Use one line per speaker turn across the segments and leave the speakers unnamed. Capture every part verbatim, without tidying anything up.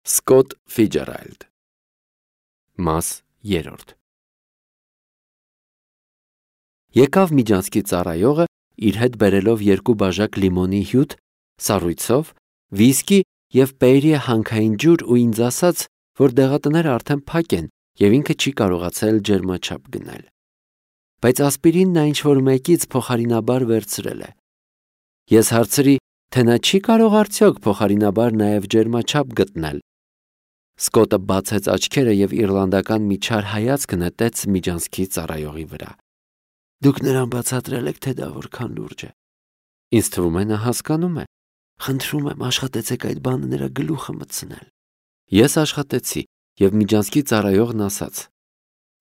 Սկոտ Ֆիջերալդ Մաս երրորդ Եկավ Միջանցքի ծառայողը իր հետ բերելով երկու բաժակ լիմոնի հյութ, սառույցով, վիսկի և Պերիե հանքային ջուր ու ինձ ասաց, որ դեղատները արդեն փակ են և ինքը չի կարողացել ջերմաչափ գնել։ Բայց ասպիրինն նա ինչ-որ մեկից փոխարինաբար վերցրել է։ Ես հարցրի, թե նա չի կարող արդյոք փոխարինաբար նաև ջերմաչափ գտնել։ Սկոտը բացեց աչքերը և իռլանդական մի չար հայացք նետեց Միջանցքի ծառայողի վրա։ Դուք նրան բացատրել եք, թե դա որքան լուրջ է։ Ինձ թվում է նա հասկանում է։ Խնդրում եմ, աշխատեցեք այդ բանը նրա գլուխը մտցնել։ Ես աշխատեցի, և Միջանցքի ծառայողն ասաց.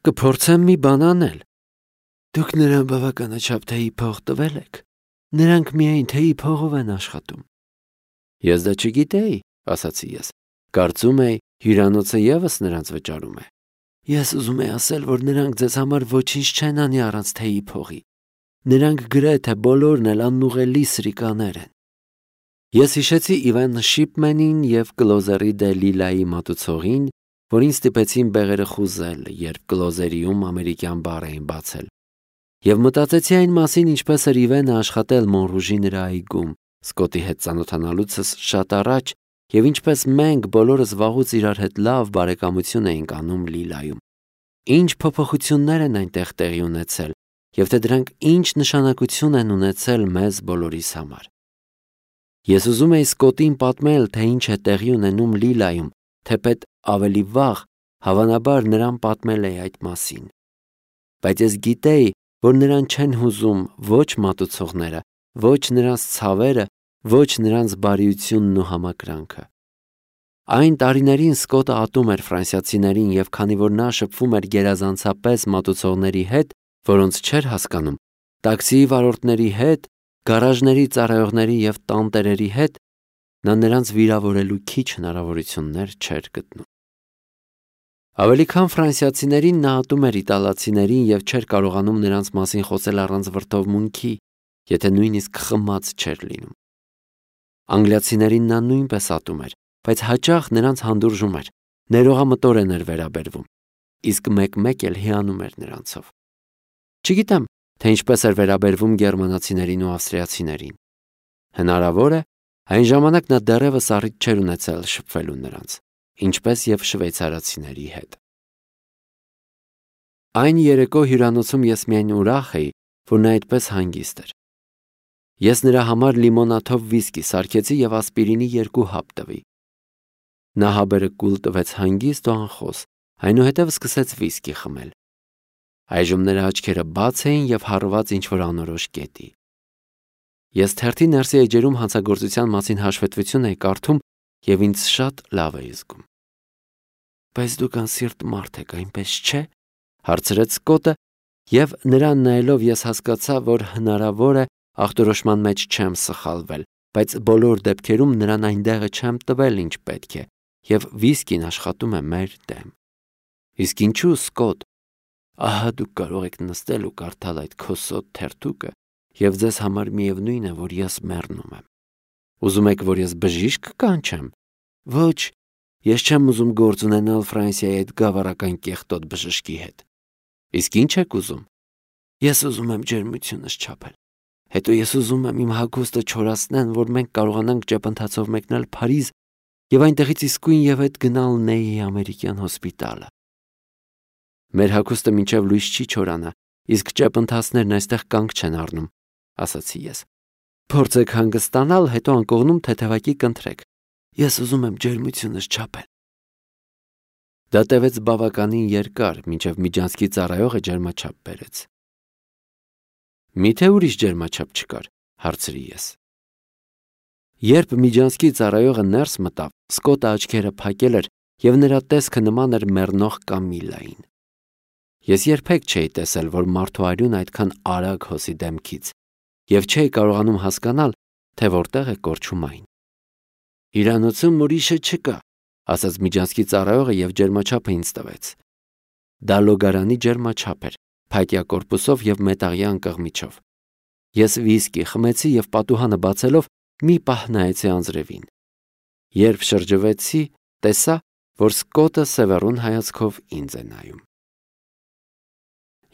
Կփորձեմ մի բան անել։ Դուք նրան բավականաչափ թեյի փող տվել եք։ Նրանք միայն թեյի փողով են աշխատում։ Ես դա չգիտեի, ասացի ես։ Կարծում էի, հյուրանոցը ևս նրանց վճարում է։ Ես ուզում եի ասել, որ նրանք ձեզ համար ոչինչ չեն անի առանց թեյի փողի։ Նրանք գրեթե բոլորն էլ անուղելի սրիկաներ են։ Ես հիշեցի Իվան Շիփմենին և Կլոզերի դե Լիլայի մատուցողին, որին ստիպեցին բեղերը խուզել, երբ Կլոզերիում ամերիկյան բար էին բացել։ Եվ մտածեցի այն մասին, ինչպես էր Իվանը աշխատել Մոնրուժի նրա այգում, Սկոտի հետ ծանոթանալուցս շատ առաջ, և ինչպես մենք բոլորս վաղուց իրար հետ լավ բարեկամություն էինք անում Լիլայում։ Ինչ փոփոխություններ են այնտեղ տեղի ունեցել, և թե դրանք ինչ նշանակություն են ունեցել մեզ բոլորիս համար։ Ես ուզում էի Սկոտին պատմել, թե ինչ է տեղի ունենում Լիլայում, թեպետ ավելի վաղ, հավանաբար, նրան պատմել էի այդ մասին։ Բայց ես գիտեի, որ նրան չեն հուզում ոչ մատուցողները, ոչ նրանց ցավերը, ոչ նրանց բարիությունն ու համակրանքը։ Այն տարիներին Սկոտը ատում էր ֆրանսիացիներին, և քանի որ նա շփվում էր գերազանցապես մատուցողների հետ, որոնց չէր հասկանում, տաքսիի վարորդների հետ, գարաժների ծառայողների և տանտերերի հետ, նա նրանց վիրավորելու քիչ հնարավորություններ չէր գտնում։ Ավելի քան ֆրանսիացիներին նա ատում էր իտալացիներին և չէր կարողանում նրանց մասին խոսել առանց վրդովմունքի, եթե նույնիսկ խմած չէր լինում։ Անգլիացիներին նա նույնպես ատում էր, բայց հաճախ նրանց հանդուրժում էր, ներողամտորեն էր վերաբերվում, իսկ մեկ-մեկ էլ հիանում էր նրանցով։ Չգիտեմ, թե ինչպես էր վերաբերվում գերմանացիներին ու ավստրիացիներին։ Հնարավոր է, այն ժամանակ նա դեռևս առիթ չէր ունեցել շփվելու նրանց, ինչպես և շվեյցարացիների հետ։ Այն երեկո հյուրանոցում ես միայն ուրախ էի, որ նա այդպես հանգիստ էր։ Ես նրա համար լիմոնաթով վիսկի սարքեցի և ասպիրինի երկու հապ տվի։ Նա հաբերը կուլ տվեց հանգիստ ու անխոս, այնուհետև սկսեց վիսկի խմել։ Այժմ նրա աչքերը բաց էին և հառված ինչ-որ անորոշ կետի։ Ես թերթի ներսի էջերում հանցագործության մասին հաշվետվություն էի կարդում և ինձ շատ լավ էի զգում։ Բայց դուք անսիրտ մարդ եք, այնպես չէ՞, հարցրեց Սկոտը, և նրան նայելով ես հասկացա, որ հնարավոր է ախտորոշման մեջ չեմ սխալվել, բայց բոլոր դեպքերում նրան այնտեղը չեմ տվել, ինչ պետք է, և վիսկին աշխատում է մեր դեմ։ Իսկ ինչու, Սկոտ։ Ահա դուք կարող եք նստել ու կարդալ այդ քոսոտ թերթուկը, և ձեզ համար միևնույն է, որ ես մեռնում եմ։ Ուզում եք, որ ես բժիշկ կանչեմ։ Ոչ, ես չեմ ուզում գործ ունենալ Ֆրանսիայի այդ գավառական կեղտոտ բժշկի հետ։ Իսկ ինչ եք ուզում։ Ես ուզում եմ ջերմությունս չափել։ Հետո ես ուզում եմ իմ հագուստը չորացնեն, որ մենք կարողանանք ճեպընթացով մեկնել Փարիզ և այնտեղից իսկույն և հետ գնալ Նեյի ամերիկյան հոսպիտալը։ Մեր հագուստը մինչև լույս չի չորանա, իսկ ճեպընթացներն այստեղ կանգ չեն առնում, ասացի ես։ Փորձեք հանգստանալ, հետո անկողնում թեթևակի կընտրեք։ Ես ուզում եմ ջերմությունս չափել։ Դա տևեց բավականին երկար, մինչև Միջանցքի ծառայողը ջերմաչափ բերեց։ Միթե ուրիշ ջերմաչափ չկար, հարցրի ես։ Երբ Միջանցքի ծառայողը ներս մտավ, Սկոտը աչքերը փակել էր, և նրա տեսքը նման էր մեռնող Կամիլային։ Ես երբեք չէի տեսել, որ մարդու արյուն այդքան արագ հոսի դեմքից, և չէի կարողանում հասկանալ, թե որտեղ է կորչում այն։ Հյուրանոցում ուրիշը չկա, ասաց Միջանցքի ծառայողը և ջերմաչափը ինձ տվեց։ Դա լոգարանի ջերմաչափ էր, փայտյա կորպուսով և մետաղյա անկղմիչով։ Ես վիսկի խմեցի և պատուհանը բացելով մի պահ նայեցի անձրևին։ Երբ շրջվեցի, տեսա, որ Սկոտը սևեռուն հայացքով ինձ է նայում։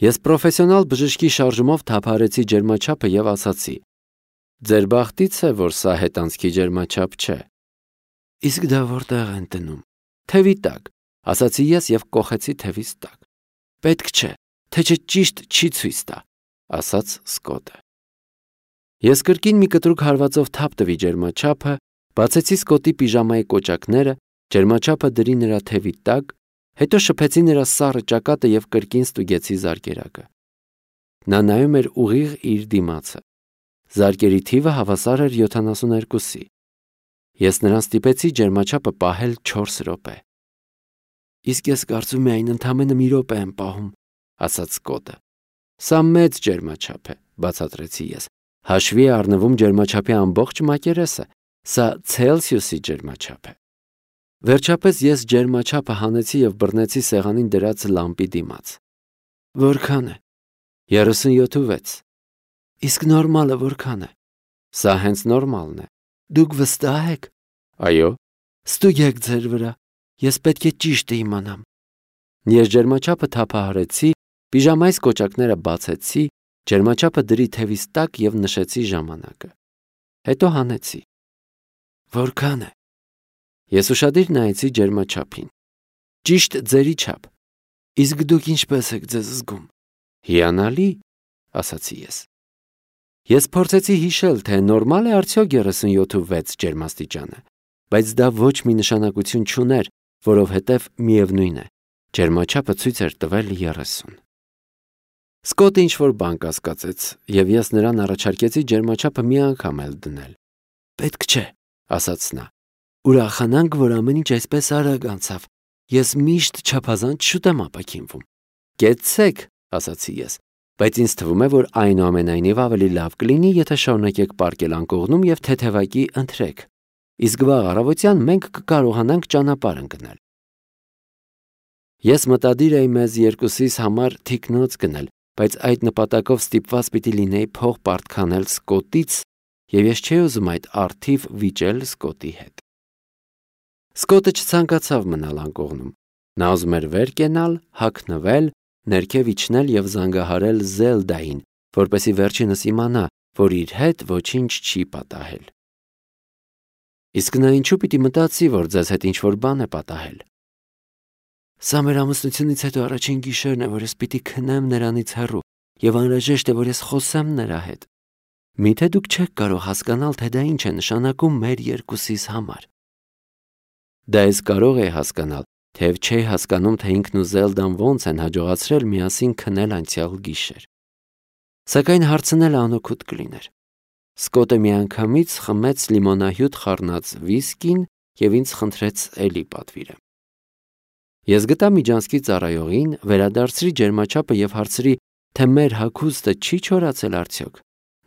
Ես պրոֆեսիոնալ բժշկի շարժումով թափահարեցի ջերմաչափը եւ ասացի. «Ձեր բախտից է, որ սա հետանցքի ջերմաչափ չէ»։ Իսկ դա որտեղ են տնում։ Թևի տակ, ասացի ես եւ կոխեցի թևիս տակ։ Պետք չէ, թե չէ ճիշտ չի ցույց տա, ասաց Սկոտը։ Ես կրկին մի կտրուկ հարվածով թափ տվի ջերմաչափը, բացեցի Սկոտի պիժամայի կոճակները, ջերմաչափը դրի նրա թևի տակ, հետո շփեցի նրա սառը ճակատը եւ կրկին ստուգեցի զարկերակը։ Նա նայում էր ուղիղ իր դիմացը։ Զարկերի թիվը հավասար էր յոթանասունհինգի։ Ես նրան ստիպեցի ջերմաչափը պահել չորս րոպե։ Իսկ ես կարծում եմ այն ընդամենը մի րոպե եմ պահում, ասաց Սկոտը։ Սա մեծ ջերմաչափ է, բացատրեցի ես։ Հաշվի է առնվում ջերմաչափի ամբողջ մակերեսը, սա Ցելսիուսի ջերմաչափ է։ Վերջապես ես ջերմաչափը հանեցի եւ բռնեցի սեղանին դրած լամպի դիմաց։ Որքան է։ երեսունյոթ։ Իսկ նորմալը որքան է։ Սա հենց նորմալն է։ Դուք վստահ եք։ Այո։ Ստուգեք ձեր վրա։ Ես պետք է ճիշտը իմանամ։ Ես ջերմաչափը թափահարեցի, պիժամայիս կոճակները բացեցի, ջերմաչափը դրի թևիս տակ եւ նշեցի ժամանակը։ Հետո հանեցի։ Որքան է։ Ես ուշադիր նայեցի ջերմաչափին։ Ճիշտ ձերի չափ։ Իսկ դուք ինչպես եք ձեզ զգում։ Հիանալի, ասացի ես։ Ես փորձեցի հիշել, թե նորմալ է արդյոք երեսունյոթ ջերմաստիճանը, բայց դա ոչ մի նշանակություն չուներ, որովհետև միևնույն է, ջերմաչափը ցույց էր տվել երեսուն։ Սկոտը ինչ-որ բան կասկածեց, եւ ես նրան առաջարկեցի ջերմաչափը մի անգամ էլ դնել։ Պետք չէ, ասաց նա։ Ուրախանանք, որ ամեն ինչ այսպես արագ անցավ։ Ես միշտ չափազանց շուտ եմ ապաքինվում։ Կեցցեք, ասացի ես, բայց ինձ թվում է, որ այնուամենայնիվ ավելի լավ կլինի, եթե շարունակեք պառկել անկողնում եւ թեթևակի ընթրեք։ Իսկ վաղ առավոտյան մենք կկարողանանք ճանապարհ ընկնել։ Ես մտադիր էի մեզ երկուսիս համար թիկնոց գնել, բայց այդ նպատակով ստիպված պիտի լինեի փող պարտքանել Սկոտից, եւ ես չէի ուզում այդ արթիվ վիճել Սկոտի հետ։ Սկոտը չցանկացավ մնալ անկողնում։ Նա ուզում էր վեր կենալ, հագնվել, ներքև իջնել եւ զանգահարել Զելդային, որպեսզի վերջինս իմանա, որ իր հետ ոչինչ չի պատահել։ Իսկ նա ինչու պիտի մտածի, որ ձեզ հետ ինչ-որ բան է պատահել։ Սա մեր ամուսնությունից հետո առաջին գիշերն է, որ ես պիտի քնեմ նրանից հեռու, եւ անհրաժեշտ է, որ ես խոսեմ նրա հետ։ Միթե դուք չեք կարող հասկանալ, թե դա ինչ է նշանակում մեր երկուսիս համար։ Դա ես կարող էի հասկանալ, թեև չէի հասկանում, թե ինքն ու Զելդան ոնց են հաջողացրել միասին քնել անցյալ գիշեր։ Սակայն հարցնելը անօգուտ կլիներ։ Սկոտը միանգամից խմեց լիմոնահյութ խառնած վիսկին եւ ինձ խնդրեց էլի պատվիրեմ։ Ես գտա միջանցքի ծառայողին, վերադարձրի ջերմաչափը եւ հարցրի, թե մեր հագուստը չի չորացել արդյոք։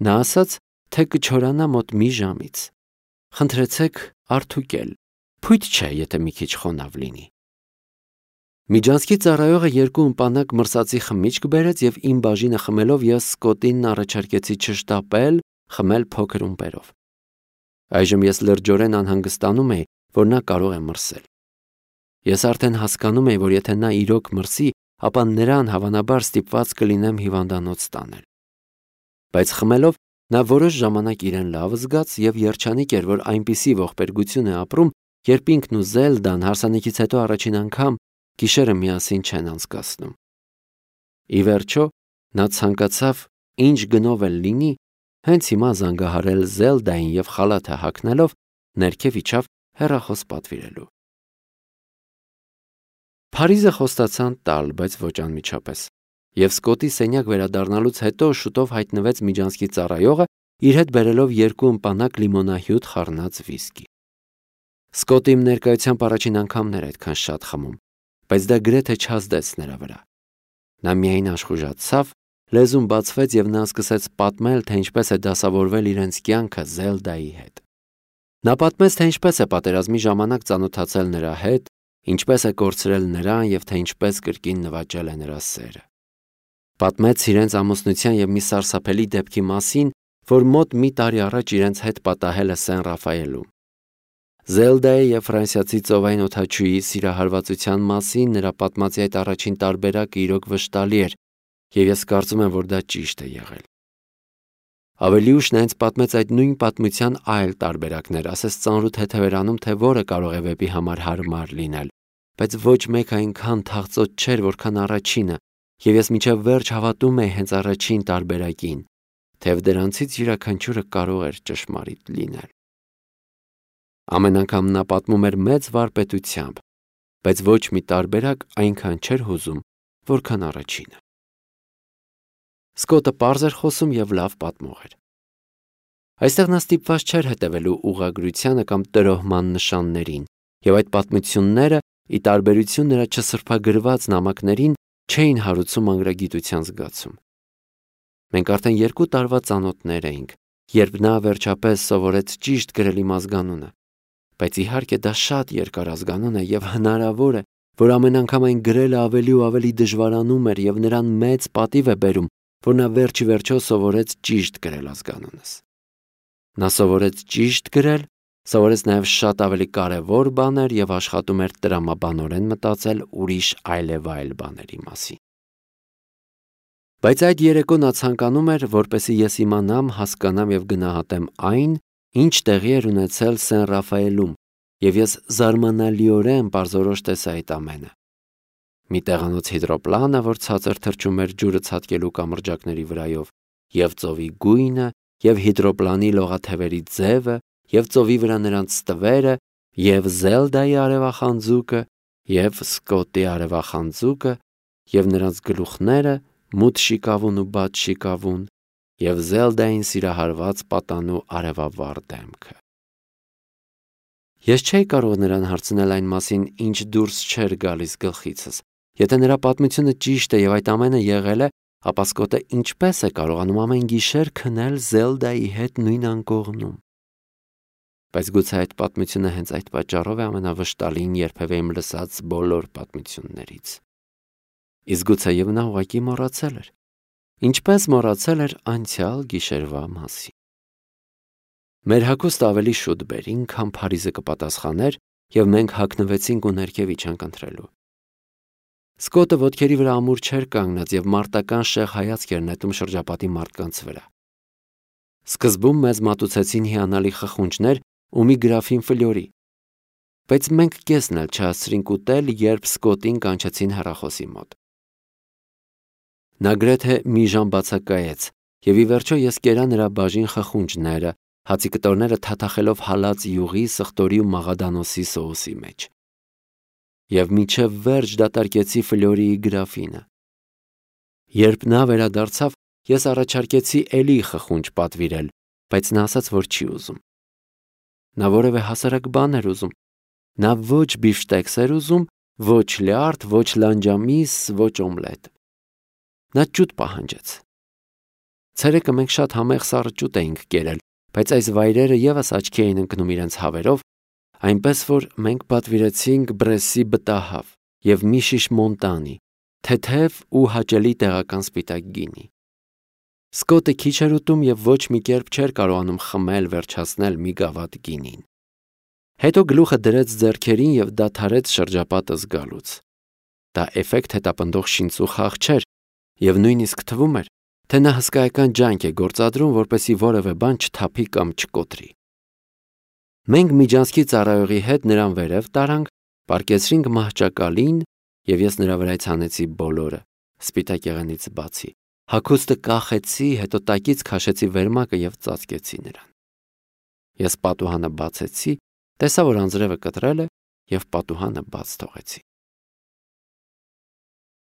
Նա ասաց, թե կչորանա մոտ մի ժամից։ Խնդրեցեք արդուկել։ Փույթ չէ, եթե մի քիչ խոնավ լինի։ Միջանցքի ծառայողը երկու ըմպանակ մրսածի խմիչք բերեց եւ իմ բաժինը խմելով ես Սկոտին առաջարկեցի չշտապել, խմել փոքր ումպերով։ Այժմ ես լրջորեն անհանգստանում էի, որ նա կարող է մրսել։ Ես արդեն հասկանում էի, որ եթե նա իրոք մրսի, ապա նրան հավանաբար ստիպված կլինեմ հիվանդանոց տանել։ Բայց խմելով նա որոշ ժամանակ իրեն լավ զգաց եւ երջանիկ էր, որ այնպիսի ողբերգություն է ապրում, երբ ինքն ու Զելդան հարսանիքից հետո առաջին անգամ գիշերը միասին չեն անցկացնում։ Ի վերջո, նա ցանկացավ ինչ գնով էլ լինի, հենց հիմա զանգահարել Զելդային եւ խալաթը հագնելով ներքև իջավ հեռախոս պատվիրելու։ Փարիզը խոստացան տալ, բայց ոչ անմիջապես։ Եվ Սկոտի սենյակ վերադառնալուց հետո շուտով հայտնվեց միջանցքի ծառայողը, իր հետ բերելով երկու ըմպանակ լիմոնահյութ խառնած վիսկի։ Սկոտը իմ ներկայությամբ առաջին անգամն էր այդքան շատ խմում, բայց դա գրեթե չազդեց նրա վրա։ Նա միայն աշխուժացավ, լեզուն բացվեց եւ նա սկսեց պատմել, թե ինչպես է դասավորվել իրենց կյանքը Զելդայի հետ։ Նա պատմեց, թե ինչպես է պատերազմի ժամանակ ծանոթացել նրա հետ, ինչպես է կորցրել նրան եւ թե ինչպես կրկին նվաճել է նրա սերը։ Պատմեց իրենց ամուսնության եւ մի սարսափելի դեպքի մասին, որ մոտ մի տարի առաջ իրենց հետ պատահել է Սեն Ռաֆայելում։ Զելդայի և ֆրանսիացի ծովային օդաչուի սիրահարվածության մասին նրա պատմածի այդ առաջին տարբերակը իրոք վշտալի էր, և ես կարծում եմ, որ դա ճիշտ է եղել։ Ավելի ուշ նա ինձ պատմեց այդ նույն պատմության այլ տարբերակներ, ասես ծանրութ թեթևերանում, թե որը կարող է վեպի համար հարմար լինել, բայց ոչ մեկ այնքան թախծոտ չէր, որքան առաջինը, և ես մինչև վերջ հավատում էի հենց առաջին տարբերակին, թեև դրանցից յուրաքանչյուրը կարող էր ճշմարիտ լինել։ Ամեն անգամ նա պատմում էր մեծ վարպետությամբ, բայց ոչ մի տարբերակ այնքան չէր հուզում, որքան առաջինը։ Սկոտը պարզ էր խոսում և լավ պատմող էր։ Այստեղ նա ստիպված չէր հետևելու ուղղագրությանը կամ տրոհման նշաններին, և այդ պատմությունները, ի տարբերություն նրա չսրբագրված նամակներին, չէին հարուցում մանրագիտության զգացում։ Մենք արդեն երկու տարվա ծանոթներ էինք, երբ նա վերջապես սովորեց ճիշտ գրել իմ ազգանունը, բայց իհարկե դա շատ երկար ազգանուն է և հնարավոր է, որ ամեն անգամ այն գրելը ավելի ու ավելի դժվարանում էր և նրան մեծ պատիվ է բերում, որ նա վերջ ի վերջո սովորեց ճիշտ գրել ազգանունս։ Նա սովորեց ճիշտ գրել, սովորեց նաև շատ ավելի կարևոր բաներ և աշխատում էր տրամաբանորեն մտածել ուրիշ այլևայլ բաների մասին։ Բայց այդ երեկո նա ցանկանում էր, որպեսզի ես իմանամ, հասկանամ և գնահատեմ այն, ինչ տեղի էր ունեցել Սեն Ռաֆայելում, և ես զարմանալիորեն պարզորոշ տեսա այդ ամենը։ Մի տեղանոց հիդրոպլանը, որ ցածր թռչում էր ջուրը ցատկելու կամրջակների վրայով, և ծովի գույնը, և հիդրոպլանի լողաթևերի ձևը, և ծովի վրա նրանց ստվերը, և Զելդայի արևախանձուկը, և Սկոտի արևախանձուկը, և նրանց գլուխները, մութ շիկավուն ու բաց շիկավուն, և Զելդային սիրահարված պատանու արևավառ դեմքը։ Ես չէի կարող նրան հարցնել այն մասին, ինչ դուրս չէր գալիս գլխիցս։ Եթե նրա պատմությունը ճիշտ է և այդ ամենը եղել է, ապա Սկոտը ինչպե՞ս է կարողանում ամեն գիշեր քնել Զելդայի հետ նույն անկողնում։ Բայց գուցե այդ պատմությունը հենց այդ պատճառով է ամենավշտալին երբևէ իմ լսած բոլոր պատմություններից։ Իսկ գուցեև նա ուղղակի մոռացել էր, ինչպես մոռացել էր անցյալ գիշերվա մասին։ Մեր հագուստը ավելի շուտ բերին, քան Փարիզը կպատասխաներ, և մենք հագնվեցինք ու ներքև իջանք ընթրելու։ Սկոտը ոտքերի վրա ամուր չէր կանգնած և մարտական շեղ հայացք էր նետում շրջապատի մարդկանց վրա։ Սկզբում մեզ մատուցեցին հիանալի խխունջներ ու մի գրաֆին ֆլյորի, բայց մենք կեսն էլ չհասցրինք ուտել, երբ Սկոտին կանչեցին հեռախոսի մոտ։ Նա գրեթե մի ժամ բացակայեց, և ի վերջո ես կերա նրա բաժին խխունջները, հացի կտորները թաթախելով հալած յուղի, սխտորի ու մաղադանոսի սոուսի մեջ։ Եվ մինչև վերջ դատարկեցի ֆլյորիի գրաֆինը։ Երբ նա վերադարձավ, ես առաջարկեցի էլի խխունջ պատվիրել, բայց նա ասաց, որ չի ուզում։ Նա որևէ հասարակ բան էր ուզում։ Նա ոչ բիֆշտեքս էր ուզում, ոչ լյարդ, ոչ լանջամիս, ոչ օմլետ։ Նա ջուտ պահանջեց։ Ցերեկը մենք շատ համեղ սառը ջուտ էինք կերել, բայց այս վայրերը ևս աչքի էին ընկնում իրենց հավերով, այնպես որ մենք պատվիրեցինք Բրեսի բտահավ և մի շիշ Մոնտանի, թեթև ու հաճելի տեղական սպիտակ գինի։ Սկոտը քիչ էր ուտում և ոչ մի կերպ չէր կարողանում խմել վերջացնել մի գավաթ գինին։ Հետո գլուխը դրեց ձեռքերին և դադարեց շրջապատը զգալուց։ Դա էֆեկտ հետապնդող շինծուխաղ չէր, և նույնիսկ թվում էր, թե նա հսկայական ջանք է գործադրում, որպեսզի որևէ բան չթափի կամ չկոտրի։ Մենք միջանցքի ծառայողի հետ նրան վերև տարանք, պառկեցրինք մահճակալին, և ես նրա վրայից հանեցի բոլորը, սպիտակ եղենից բացի, հագուստը կախեցի, հետո տակից քաշեցի վերմակը և ծածկեցի նրան։ Ես պատուհանը բացեցի, տեսա, որ անձրևը կտրել է, և պատուհանը բաց թողեցի։